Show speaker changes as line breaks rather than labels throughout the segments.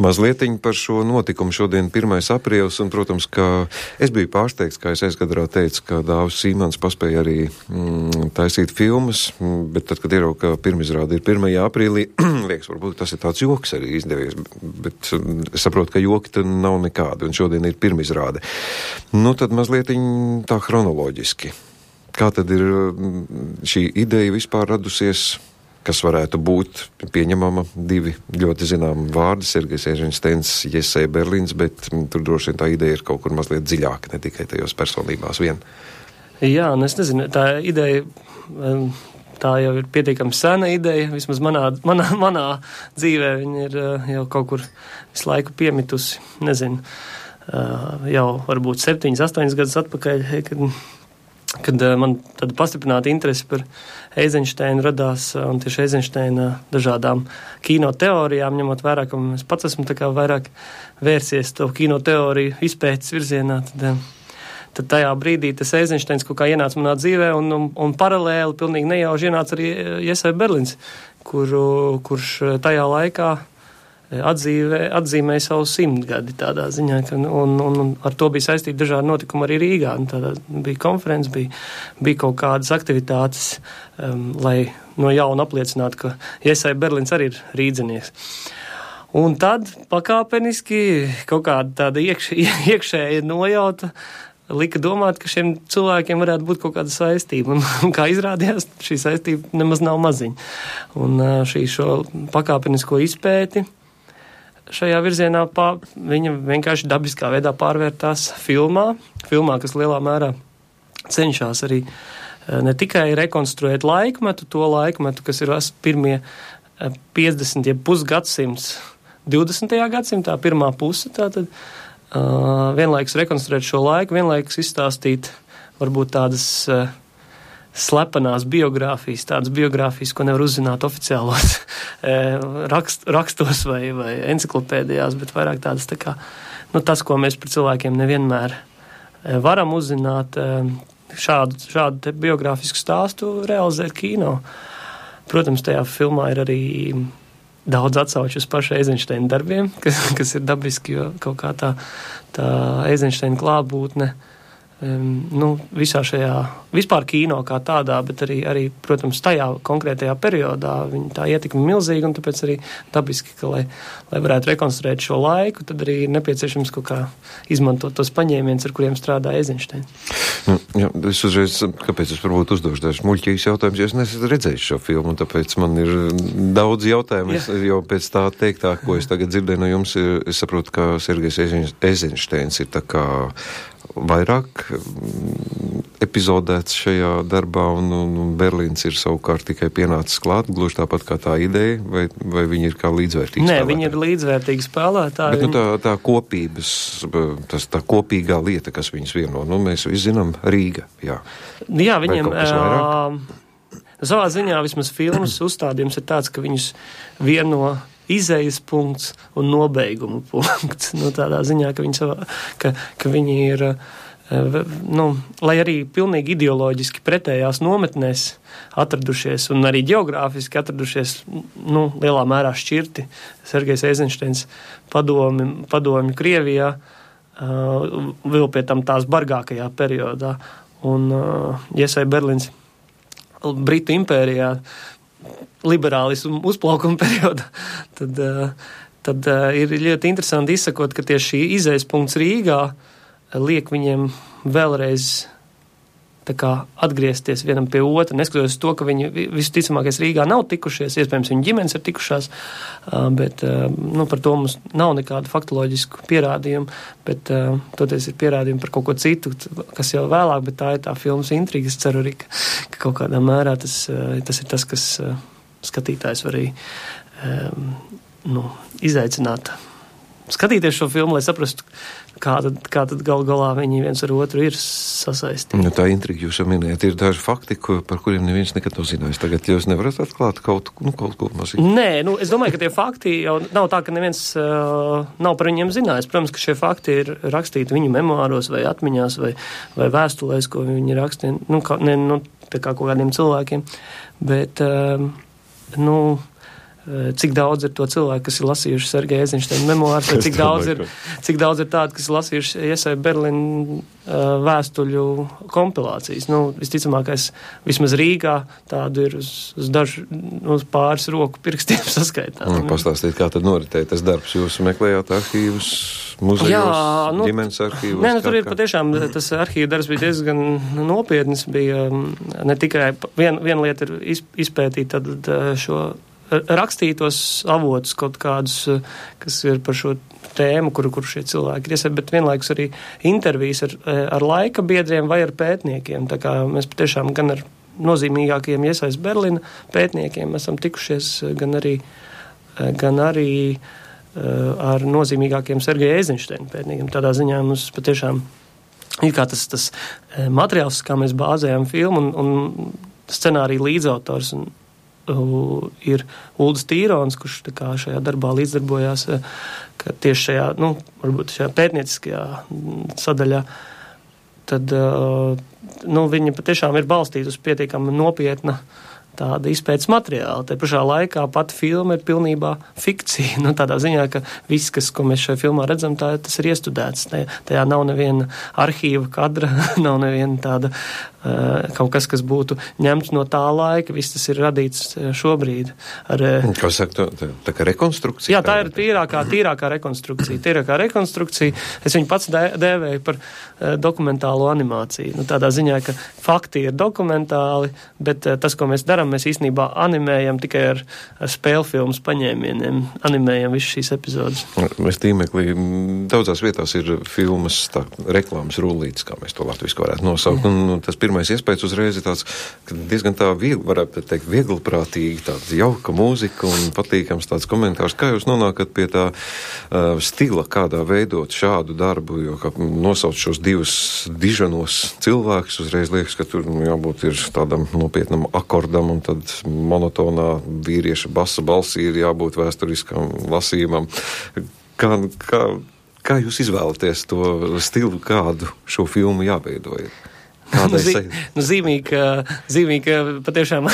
Mazlietiņi par šo notikumu šodien 1. aprīlis, un, protams, ka es biju pārsteigts, kā es aizkadrā teicu, ka Dāvis Sīmans paspēja arī taisīt filmas, bet tad, kad ierauga, ka pirmizrāde ir 1. aprīlī, liekas, varbūt tas ir tāds joks arī izdevies, bet es saprotu, ka joki tad nav nekādi, un šodien ir pirmizrāde. Nu, tad mazlietiņi tā chronoloģiski. Kā tad ir šī ideja vispār radusies? Kas varētu būt pieņemama 2 ļoti zināmi vārdi, Sergejs Eizenšteins, Jesē Berlins, bet tur droši vien tā ideja ir kaut kur mazliet dziļāka, ne tikai tajos personībās vien.
Jā, un es nezinu, tā ideja, tā jau ir pietiekami sena ideja, vismaz manā dzīvē viņa ir jau kaut kur visu laiku piemitusi, nezinu, jau varbūt 7-8 gadus atpakaļ, kad man tāda pastiprināta interese par Eizenšteinu radās, un tieši Eizenšteina dažādām kino teorijām, ņemot vērā, ka es pats esmu tā kā vairāk vērsies to kino teoriju izpētes virzienā, tad tajā brīdī tas Eizenšteins kaut kā ienāca manā dzīvē, un paralēli pilnīgi nejauši ienāca arī Jesē Berlins, kurš tajā laikā atzīmēja savu 100 gadi tādā ziņā, un ar to bija saistīti dažādi notikumi arī Rīgā. Tādā bija konferences, bija kaut kādas aktivitātes, lai no jauna apliecinātu, ka Jesē Berlins arī ir rīdzinieks. Un tad pakāpeniski kaut kāda tāda iekšēja nojauta lika domāt, ka šiem cilvēkiem varētu būt kaut kāda saistība. Un kā izrādījās, šī saistība nemaz nav maziņa. Un šo pakāpenisko izpēti šajā virzienā viņa vienkārši dabiskā veidā pārvērtās filmā, kas lielā mērā cenšas arī ne tikai rekonstruēt laikmetu, to laikmetu, kas ir pirmie 50, ja pusgadsimts 20. gadsimtā, pirmā puse, tātad vienlaikus rekonstruēt šo laiku, vienlaikus izstāstīt varbūt tādas slepenās biogrāfijas, tādas biogrāfijas, ko nevar uzzināt oficiālos rakstos vai enciklopēdijās, bet vairāk tādas tā kā, tas, ko mēs par cilvēkiem nevienmēr varam uzzināt, šādu biogrāfisku stāstu realizēt kino. Protams, tajā filmā ir arī daudz atsauču uz pašu Eizenšteina darbiem, kas ir dabiski, jo kaut kā tā Eizenšteina klātbūtne visā šajā, vispār kino kā tādā, bet arī, protams, tajā konkrētajā periodā viņa tā ietekme milzīga, un tāpēc arī dabiski, ka, lai varētu rekonstruēt šo laiku, tad arī ir nepieciešams kaut kā izmantot tos paņēmienus, ar kuriem strādā Eizenšteins.
Jā, es uzreiz, kāpēc es varbūt uzdošu dažs muļķīgs jautājums, jo es neesmu redzējis šo filmu, un tāpēc man ir daudz jautājumu, jo pēc tā teiktā, ko es tagad dzirdēju no jums, es saprotu, ka Sergejs Eizenšteins ir tā kā vairāk epizodēts šajā darbā, un Berlīns ir savukārt tikai pienācis klāt, gluži tāpat kā tā ideja, vai viņi ir kā līdzvērtīgi spēlētāji?
Nē, viņi ir līdzvērtīgi spēlētāji.
Bet tā kopības, tā kopīgā lieta, kas viņus vieno, mēs visi zinām Rīga, jā.
Jā, viņiem savā ziņā vismaz filmas uzstādījums ir tāds, ka viņus vieno izejas punkts un nobeiguma punkts. Tādā ziņā, ka viņi ir, lai arī pilnīgi ideoloģiski pretējās nometnēs atradušies un arī geogrāfiski atradušies, lielā mērā šķirti. Sergejs Eizenšteins padomju Krievijā, vēl pie tam tās bargākajā periodā, un Jesē Berlins Britu impērijā, liberālismu uzplaukuma periodā, tad ir ļoti interesanti izsakot, ka tieši šī izejas punkts Rīgā liek viņiem vēlreiz tā kā atgriezties vienam pie otra, neskatoties to, ka viņi visticamākais Rīgā nav tikušies, iespējams viņu ģimenes ir tikušās, bet par to mums nav nekādu faktoloģisku pierādījumu, bet toties ir pierādījumi par kaut ko citu, kas jau vēlāk, bet tā ir tā filmas intriga. Es ceru arī, ka kaut kādā mērā tas ir tas, kas skatītājs var arī izaicināt skatīties šo filmu, lai saprastu, kā tad galā viņi viens ar otru ir sasaistīti.
Tā intriga jūs jau minējat, ir daži fakti, par kuriem neviens nekad nav zinājis. Tagad jūs nevarat atklāt kaut ko mazīt?
Nē, es domāju, ka tie fakti jau nav tā, ka neviens nav par viņiem zinājis. Protams, ka šie fakti ir rakstīti viņu memoāros vai atmiņās vai vēstulēs, ko viņi rakstīja, tā kā kaut kādiem cilvēkiem. Bet, cik daudz ir to cilvēku, kas ir lasījuši Sergeja Eizenšteina memoārs, vai cik daudz ir tādi, kas ir lasījuši Jesai Berlin vēstuļu kompilācijas. Visticamākais, vismaz Rīgā tādu ir uz pāris roku pirkstiem saskaitām.
Pastāstīt, kā tad noritēja tas darbs. Jūs meklējāt arhīvus, muzejos, ģimenes arhīvus?
Tur ir patiešām, tas arhīva darbs bija diezgan nopietnis. Bija ne tikai viena lieta ir izpētīt tad šo rakstītos avotus kaut kādus, kas ir par šo tēmu, kur šie cilvēki ir iesaistīti, bet vienlaikus arī intervijas ar laika biedriem vai ar pētniekiem. Tā kā mēs patiešām gan ar nozīmīgākajiem Jesais Berlina pētniekiem esam tikušies, gan arī ar nozīmīgākiem Sergeja Eizenšteina pētniekiem. Tādā ziņā mums patiešām ir kā tas materiāls, kā mēs bāzējam filmu un scenāriju līdzautors ir Uldis Tīrons, kurš tā kā šajā darbā līdzdarbojās, ka tieši šajā, varbūt šajā pētnieciskajā sadaļā, tad, viņa patiešām ir balstīta uz pietiekami nopietna tāda izpētes materiāla. Te pašā laikā pati filma ir pilnībā fikcija. Tādā ziņā, ka viss, ko mēs šajā filmā redzam, tas ir iestudēts. Tajā nav neviena arhīva kadra, nav neviena tāda kaut kas būtu ņemts no tā laika. Viss tas ir radīts šobrīd.
Kā saka, tā kā rekonstrukcija?
Jā, tā ir tīrākā rekonstrukcija. Es viņu pats dēvēju par dokumentālo animāciju. Tādā ziņā, ka fakti ir dokumentāli, bet tas, ko mēs darām, mēs īstenībā animējam tikai ar spēļu filmas paņēmieniem, animējam visu šīs epizodes.
Mēs tīmeklī daudzās vietās ir filmas, reklāmas rullītes, kā mēs to latviski varētu nosaukt. Tas pirmais iespējas uzreiz ir tāds, ka diezgan tā varētu teikt, vieglprātīgi, tāda jauka mūzika un patīkams tāds komentārs. Kā jūs nonākat pie tā stila, kādā veidot šādu darbu, jo kā nosauc šos divus diženos cilvēkus, uzreiz liekas, ka tur jābūt ir tādam nopietnam akordam un tad monotonā vīrieša basa balsī ir jābūt vēsturiskam lasījumam. Kā jūs izvēlaties to stilu, kādu šo filmu jāveidoja?
Zīmīgi, ka patiešām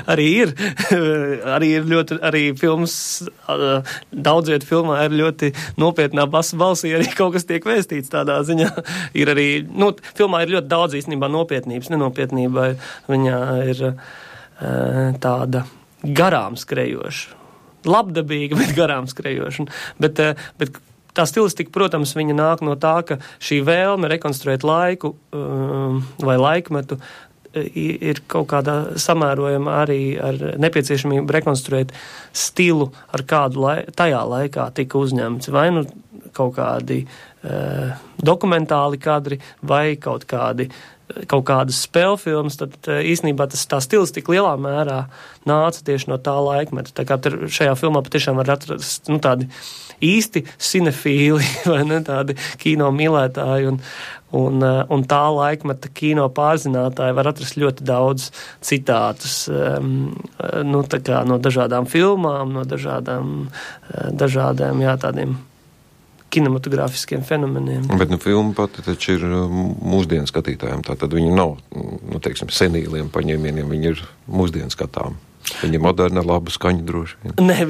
arī ir ļoti, arī filmas, daudz vietu filmā ir ļoti nopietnā basa balsī, arī kaut kas tiek vēstīts tādā ziņā. Ir arī, filmā ir ļoti daudz īstenībā nopietnības, nenopietnība viņā ir tāda garām skrejoša. Labdabīga, bet garām skrejoša. Bet tā stilistika, protams, viņa nāk no tā, ka šī vēlme rekonstruēt laiku vai laikmetu ir kaut kādā samērojama arī ar nepieciešamību rekonstruēt stilu, ar kādu tajā laikā tika uzņemts. Vai kaut kādi dokumentāli kadri vai kaut kādas spēļu filmas, tad īstenībā tā stilistika lielā mērā nāca tieši no tā laikmeta. Tā kā šajā filmā patiešām var atrast tādi īsti cinefīli vai ne, tādi kino mīlētāji un tā laikmeta kino pārzinātāji var atrast ļoti daudz citātus tā kā no dažādām filmām, no dažādiem tādiem kinematogrāfiskiem fenomeniem.
Bet filma pati taču ir mūsdienu skatītājiem, tātad viņi nav, senīliem paņēmieniem, viņi ir mūsdienu skatām. Viņi ir moderni, ar labu skaņu droši vien.
Nē,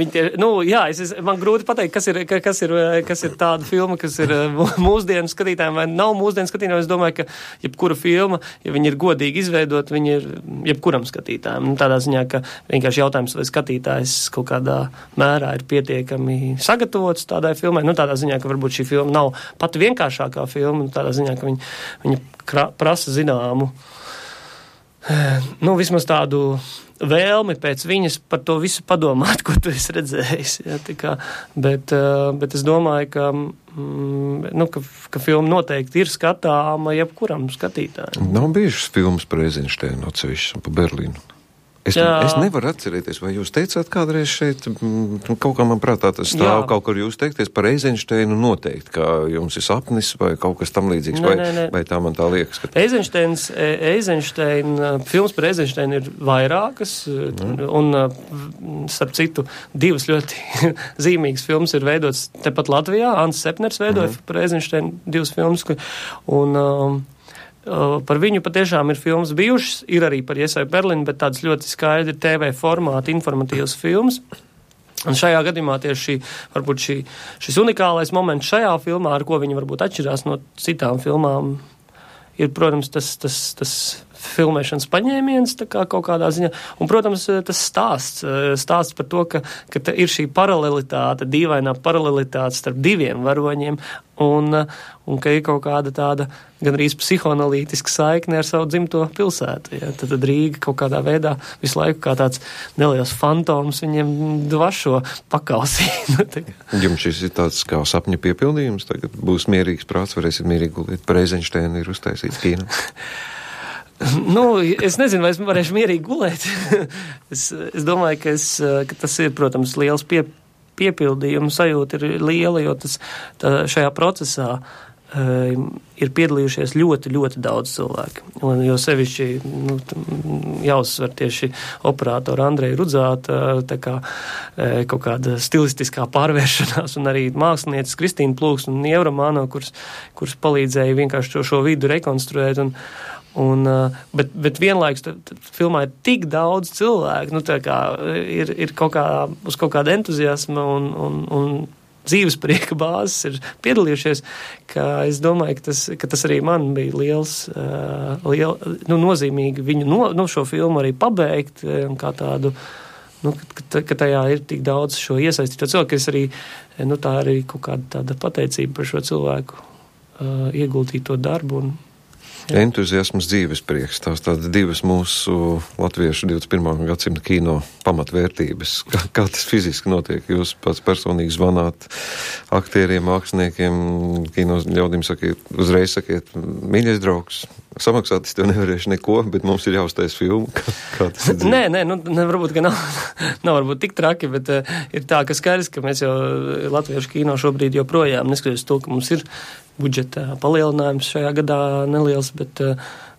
man grūti pateikt, kas ir tāda filma, kas ir mūsdienu skatītājiem vai nav mūsdienu skatītājiem. Es domāju, ka jebkura filma, ja viņi ir godīgi izveidot, viņi ir jebkuram skatītājiem. Tādā ziņā, ka vienkārši jautājums, vai skatītājs kaut kādā mērā ir pietiekami sagatavots tādai filmai. Tādā ziņā, ka varbūt šī filma nav pat vienkāršākā filma, tādā ziņā, ka viņa prasa zināmu, vismaz tādu vēlmi pēc viņas par to visu padomāt, ko tu esi redzējis. Bet es domāju, ka filma noteikti ir skatāma jebkuram skatītājam.
Nav bijušas filmas par Eizenšteinu atsevišķi un par Berlīnu. Es nevaru atcerēties, vai jūs teicāt kādreiz šeit, kaut kā man prātā tas stāv kaut kur jūs teikties par Eizenšteinu noteikti, kā jums ir sapnis vai kaut kas tam līdzīgs, vai tā man tā liekas?
Filmas par Eizenšteinu ir vairākas, un starp citu, divas ļoti zīmīgas filmas ir veidotas tepat Latvijā. Ants Sepners veidoja par Eizenšteinu divas filmas, un par viņu patiešām ir filmas bijušas, ir arī par Jesai Berlinu, bet tādas ļoti skaidri TV formāta informatīvas filmas. Un šajā gadījumā tieši varbūt šis unikālais moments šajā filmā, ar ko viņi varbūt atšķirās no citām filmām, ir, protams, tas filmēšanas paņēmiens tā kā kaut kādā ziņā. Un, protams, tas stāsts par to, ka ir šī paralelitāte, dīvainā paralelitāte starp diviem varoņiem un ka ir kaut kāda tāda gandrīz psihoanalītiska saikne ar savu dzimto pilsētu. Ja? Tad Rīga kaut kādā veidā visu laiku kā tāds neliels fantoms viņiem dvašo pakausī.
Jums šis ir tāds kā sapņa piepildījums? Tagad būs mierīgs prāts, varēsiet mierīgi gulēt. Par Eizenšteinu ir uztaisīts kino.
Es nezinu, vai es varēšu mierīgi gulēt. Es domāju, ka tas ir, protams, liels piepildījums, sajūta ir liela, jo šajā procesā ir piedalījušies ļoti, ļoti daudz cilvēku. Un jo sevišķi jāuzsver tieši operātora Andreja Rudzāta, tā kā kaut kāda stilistiskā pārvēršanās, un arī mākslinieces Kristīna Plūks un Ievra Māno, kuras palīdzēja vienkārši šo vidu rekonstruēt. Bet vienlaikus filmā ir tik daudz cilvēku, ir uz kaut kāda entuziasma un dzīves prieka bāzes ir piedalījušies, ka es domāju, ka tas arī man bija nozīmīgi viņu šo filmu arī pabeigt, kā tādu, ka tajā ir tik daudz šo iesaistīto cilvēku, ka es arī, tā arī kaut kāda tāda pateicība par šo cilvēku ieguldīto darbu un
entuziasms, dzīves prieks, tās tādas divas mūsu latviešu 21. gadsimta kino pamatvērtības. Kā tas fiziski notiek? Jūs pats personīgi zvanāt aktieriem, māksliniekiem, kino ļaudīm uzreiz sakiet, mīļais draugs, samaksāt es tev nevarēšu neko, bet mums ir jāuztais filmu. Kā tas ir dzīve?
Nē, varbūt, ka nav varbūt tik traki, bet ir tā, ka skaidrs, ka mēs jau latviešu kino šobrīd joprojām, neskatoties to, ka mums ir budžeta palielinājums šajā gadā neliels, bet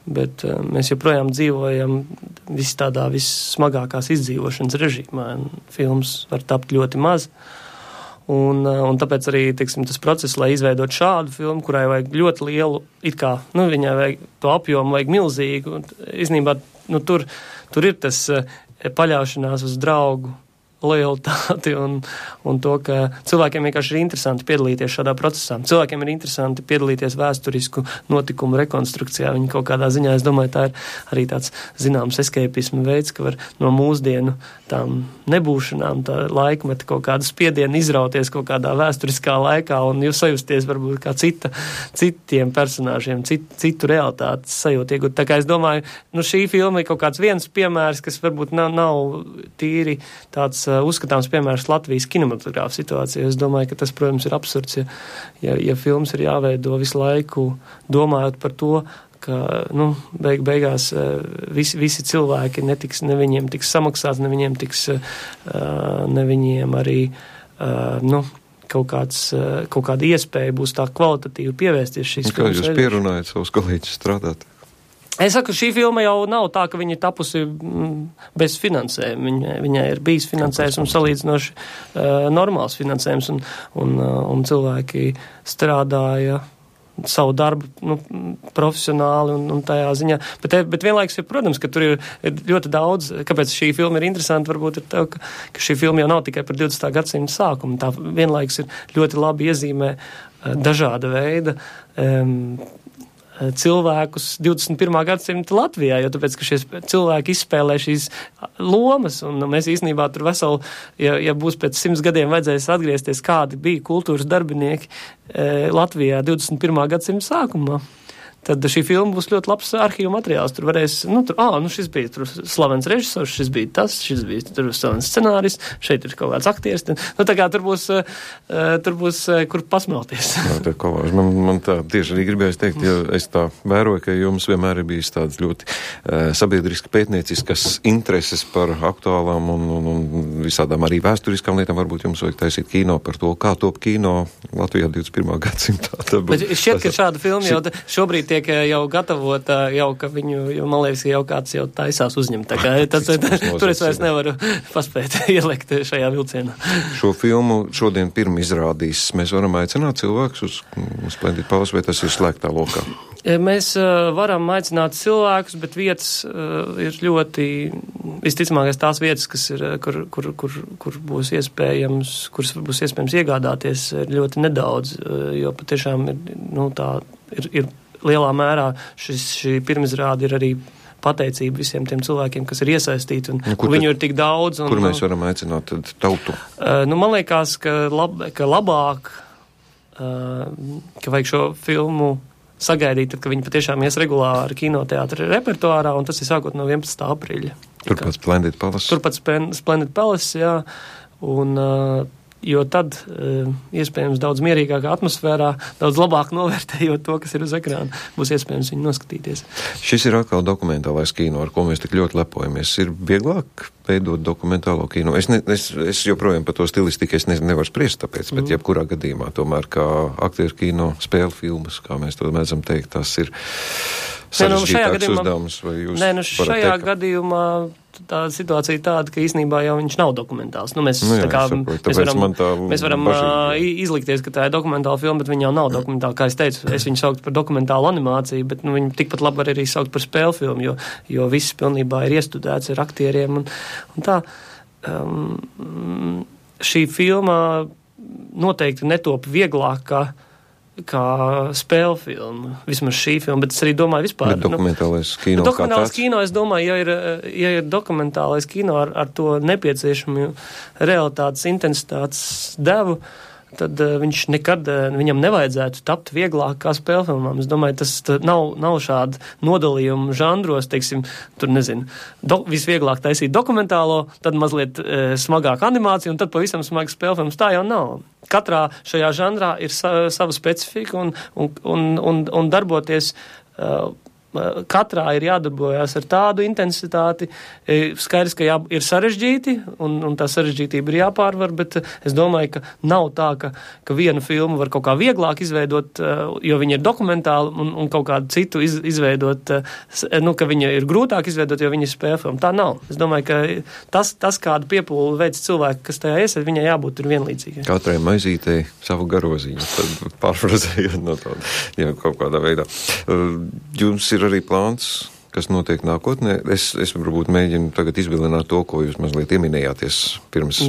mēs joprojām dzīvojam vissmagākās izdzīvošanas režīmā. Filmas var tapt ļoti maz. Un tāpēc arī, tas process, lai izveidot šādu filmu, kurai vajag ļoti lielu, viņai vajag to apjomu, vajag milzīgu. Īstenībā, tur ir tas paļaušanās uz draugu lojalitāti un to, ka cilvēkiem vienkārši ir interesanti piedalīties šādā procesā. Cilvēkiem ir interesanti piedalīties vēsturisku notikumu rekonstrukcijā. Viņi kaut kādā ziņā, es domāju, tā ir arī tāds zināms escapisma veids, ka var no mūsdienu tām nebūšanām, tā laikmeta kaut kādu spiedienu izrauties kaut kādā vēsturiskā laikā un jūs sajusties varbūt kā citiem personāžiem, citu realitātes sajūtu iegūt. Tā kā es domāju, šī filma ir kaut kāds viens piemērs, kas varbūt nav tīri tāds uzskatāms piemērs Latvijas kinematogrāfa situācijā. Es domāju, ka tas, protams, ir absurds, ja filmas ir jāveido visu laiku domājot par to, ka, beigās visi cilvēki ne viņiem tiks samaksāts, ne viņiem arī, kaut kāda iespēja būs tā kvalitatīvi pievērsties šīs filmas.
Kā jūs pierunājat savus kolēģus strādāt?
Es saku, šī filma jau nav tā, ka viņa ir tapusi bez finansējuma. Viņai ir bijis finansējums un salīdzinoši normāls finansējums, un cilvēki strādāja savu darbu profesionāli un tajā ziņā. Bet vienlaikus ir, protams, ka tur ir ļoti daudz, kāpēc šī filma ir interesanta, varbūt ir tev, ka šī filma jau nav tikai par 20. gadsimta sākumu. Tā vienlaikus ir ļoti labi iezīmē dažāda veida cilvēkus 21. gadsimta Latvijā, jo tāpēc, ka šie cilvēki izspēlē šīs lomas, un mēs īstenībā tur veseli, ja būs pēc 100 gadiem vajadzēs atgriezties, kādi bija kultūras darbinieki Latvijā 21. gadsimta sākumā, tad šī filma būs ļoti labs arhīvu materiāls. Tur varēs, šis bija tur slavens režisors, šis bija tur slavens scenāris, šeit ir kaut kāds aktieris. Tā kā tur būs kur pasmelties.
Man tā tieši arī gribējās teikt, jo es tā vēroju, ka jums vienmēr ir bijis tādas ļoti sabiedriski pētnieciskas intereses par aktuālām un visādām arī vēsturiskām lietām. Varbūt jums vajag taisīt kino par to, kā top kino Latvijā 21. gadsimtā.
Bet šķiet, ka šāda filma jau šobrīd tiek jau gatavota, ka viņu, man liekas, jau kāds jau taisās uzņemt. Tā kā tur es vairs nevaru paspēt ielikt šajā vilcienā.
Šo filmu šodien pirmi izrādīs. Mēs varam aicināt cilvēkus uz Splendid Palace, vai tas ir slēgtā lokā?
Mēs varam aicināt cilvēkus, bet vietas ir ļoti visticamākais tās vietas, kas ir, kur būs iespējams iegādāties, ir ļoti nedaudz, jo patiešām ir lielā mērā šī pirmizrāde ir arī pateicība visiem tiem cilvēkiem, kas ir iesaistīti, un viņu ir tik daudz.
Kur mēs varam aicināt tad tautu?
Man liekas, ka labāk, ka vajag šo filmu sagaidīt, tad, ka viņi patiešām ies regulāri kinoteātra repertuārā, un tas ir sākot no 11. aprīļa.
Turpat Splendid Palace.
Turpat Splendid Palace, jā, un jo tad iespējams daudz mierīgākā atmosfērā, daudz labāk novērtējot to, kas ir uz ekrāna, būs iespējams viņu noskatīties.
Šis ir atkal dokumentālais kino, ar ko mēs tik ļoti lepojamies. Ir vieglāk veidot dokumentālo kino. Es joprojām par to stilistiku nevaru spriest tāpēc, bet jebkurā gadījumā tomēr kā aktieru kino spēļu filmas, kā mēs to mēdzam teikt, tas ir sarežģītāks uzdevums.
Šajā gadījumā tā situācija ir tāda, ka īstenībā jau viņš nav dokumentāls. Mēs varam izlikties, ka tā ir dokumentāla filma, bet viņa jau nav dokumentāla. Kā es teicu, es viņu sauktu par dokumentālu animāciju, bet viņu tikpat labi var arī saukt par spēļu filmu, jo viss pilnībā ir iestudēts ar aktieriem un tā. Šī filma noteikti netop vieglāk kā spēļu filma, vismaz šī filma, bet es arī domāju vispār.
Bet dokumentālais kino
dokumentālais kino, es domāju, ja ir dokumentālais kino ar to nepieciešamu realitātes intensitātes devu, tad viņam nevajadzētu tapt vieglāk kā spēļu filmām. Es domāju, tas nav šāda nodalījuma žanros, teiksim, tur nezinu, visvieglāk taisīt dokumentālo, tad mazliet smagāk animāciju, un tad pavisam smaga spēļu filmas. Tā jau nav. Katrā šajā žanrā ir sava specifika un darboties. Katrā ir jādarbojās ar tādu intensitāti. Skaidrs, ka ir sarežģīti, un tā sarežģītība ir jāpārvar, bet es domāju, ka nav tā, ka vienu filmu var kaut kā vieglāk izveidot, jo viņa ir dokumentāla, un kaut kādu citu izveidot, ka viņa ir grūtāk izveidot, jo viņa ir spēļu filma. Tā nav. Es domāju, ka tas kādu piepūli veids cilvēku, kas tajā iesaist, viņai jābūt ir vienlīdzīgai.
Katrai maizītei savu garoziņu, tad pārfrazējot no to, kaut kādā veidā. Jums ir arī plāns, kas notiek nākotnē. Es varbūt mēģinu tagad izvilināt to, ko jūs mazliet ieminējāties pirms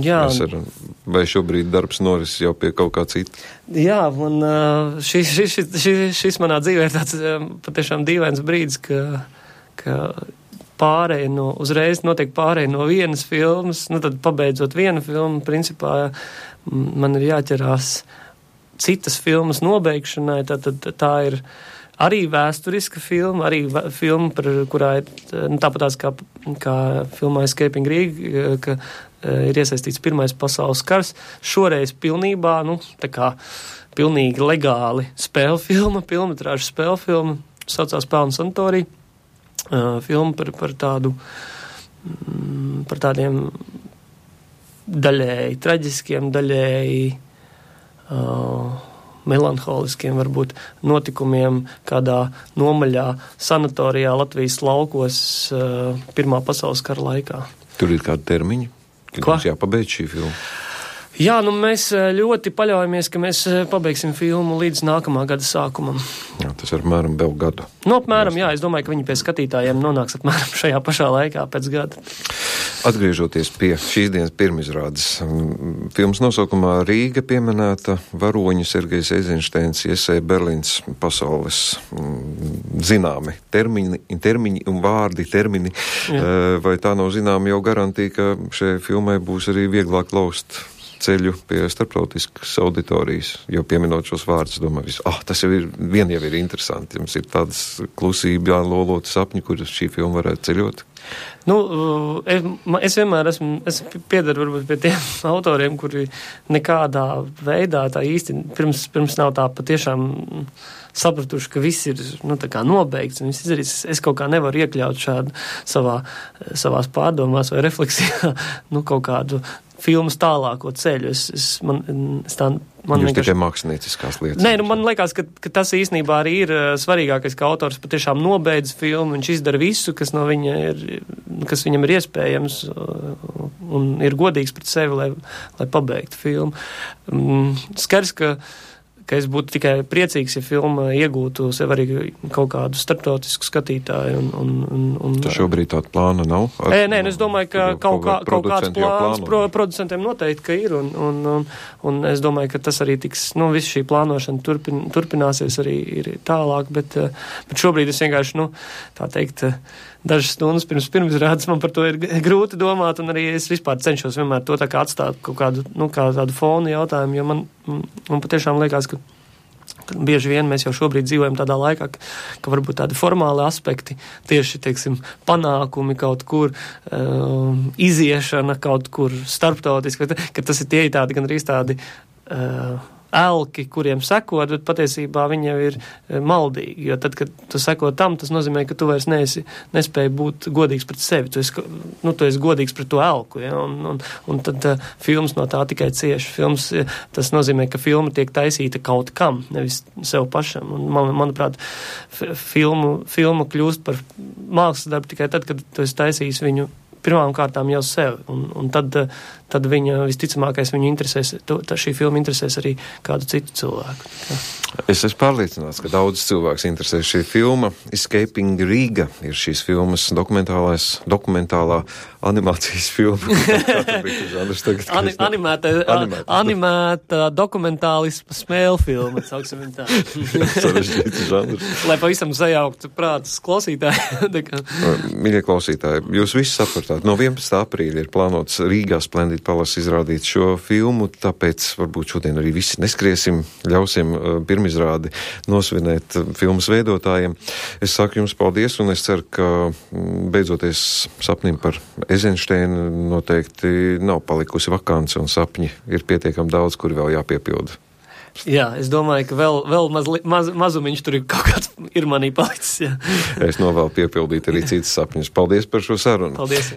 vai šobrīd darbs noris jau pie kaut kā cita?
Jā, un šis manā dzīvē ir tāds patiešām dīvains brīdis, ka uzreiz notiek pārēja no vienas filmas, tad pabeidzot vienu filmu, principā man ir jāķerās citas filmas nobeigšanai, tad tā ir arī vēsturiska filma, arī filma, kurā ir tāpatās kā filmā Escaping Rig, ka ir iesaistīts Pirmais pasaules kars. Šoreiz pilnībā, tā kā pilnīgi legāli spēļu filma, filmetrāžu spēļu filma, saucās Pelnu sanatorija. Filma par tādiem daļēji traģiskiem, daļēji melanholiskiem varbūt notikumiem kādā nomaļā sanatorijā Latvijas laukos Pirmā pasaules kara laikā.
Tur ir kādi termiņi, kad mums jāpabeidz šī filma?
Jā, mēs ļoti paļaujamies, ka mēs pabeigsim filmu līdz nākamā gada sākumam.
Jā, tas ir apmēram vēl gadu.
Apmēram, jā, es domāju, ka viņi pie skatītājiem nonāks apmēram šajā pašā laikā pēc gada.
Atgriežoties pie šīs dienas pirmizrādes, filmas nosaukumā Rīga pieminēta varoņu Sergejs Eizenšteins iesēja Berlīnas pasaules zināmi termiņi un vārdi termini. Vai tā nav zināma jau garantija, ka šai filmai būs arī vieglāk laust ceļu pie starptautiskas auditorijas, jo pieminot šos vārdus, domāju, tas jau ir interesanti. Jums ir tādas klusība, loloti sapņi, kuras šī filma varētu ceļot?
Es vienmēr piedaru varbūt pie tiem autoriem, kuri nekādā veidā tā īsti pirms nav tā patiešām sapratuši, ka viss ir tā kā nobeigts un viss izdarīts. Es kaut kā nevaru iekļaut šādu savās pārdomās vai refleksijā kaut kādu filmas tālāko ceļu.
Jūs tikai mākslinieckās lietas.
Nē, man liekas, ka tas īstenībā arī ir svarīgākais, ka autors patiešām nobeidz filmu, viņš izdara visu, kas no viņa kas viņam ir iespējams un ir godīgs pret sevi, lai pabeigtu filmu. Skaidrs, ka es būtu tikai priecīgs, ja filma iegūtu sev arī kaut kādu starptautisku skatītāju.
Tas šobrīd tāda plāna nav?
Nē, es domāju, ka kaut kāds plāns producentiem noteikti, ka ir, un es domāju, ka tas arī tiks, viss šī plānošana turpināsies arī ir tālāk, bet šobrīd es vienkārši, tā teikt, dažas stundas pirmizrādes man par to ir grūti domāt, un arī es vispār cenšos vienmēr to tā kā atstāt kaut kādu, kā tādu fonu jautājumu, jo man patiešām liekas, ka bieži vien mēs jau šobrīd dzīvojam tādā laikā, ka varbūt tādi formāli aspekti, tieši, teiksim, panākumi kaut kur, iziešana kaut kur starptautiski, ka tas ir tie tādi gan arī tādi elki, kuriem sekot, bet patiesībā viņi jau ir maldīgi, jo tad, kad tu seko tam, tas nozīmē, ka tu vairs nespēji būt godīgs pret sevi, tu esi godīgs pret to elku, ja? Un tad filmas no tā tikai cieši. Tas nozīmē, ka filma tiek taisīta kaut kam, nevis sev pašam, un manuprāt, filma kļūst par mākslas darbu tikai tad, kad tu esi taisījis viņu pirmām kārtām jau sev, un tad viņa visticamākais viņu interesēs, šī filma interesēs arī kādu citu cilvēku.
Es esmu pārliecināts, ka daudz cilvēks interesēs šī filma. Escaping Riga ir šīs filmas dokumentālā animācijas filma.
Animēta dokumentālisma smēle filma, sauksim viņu tā.
Sarežģīts žanrs.
Lai pavisam sajauktu prātus klausītāji.
Mīļie klausītāji, jūs visi sapratāt, no 11. aprīļa ir plānots Rīgā Splendid Palace izrādīt šo filmu, tāpēc varbūt šodien arī visi neskriesim, ļausim pirmizrādi nosvinēt filmas veidotājiem. Es saku jums paldies, un es ceru, ka beidzoties sapnim par Eizensteinu noteikti nav palikusi vakance, un sapņi ir pietiekami daudz, kuri vēl jāpiepilda.
Jā, es domāju, ka vēl mazumiņš tur ir kaut kāds ir manī palicis. Jā.
Es novēlu piepildīt arī citas sapņus. Paldies par šo sarunu.
Paldies.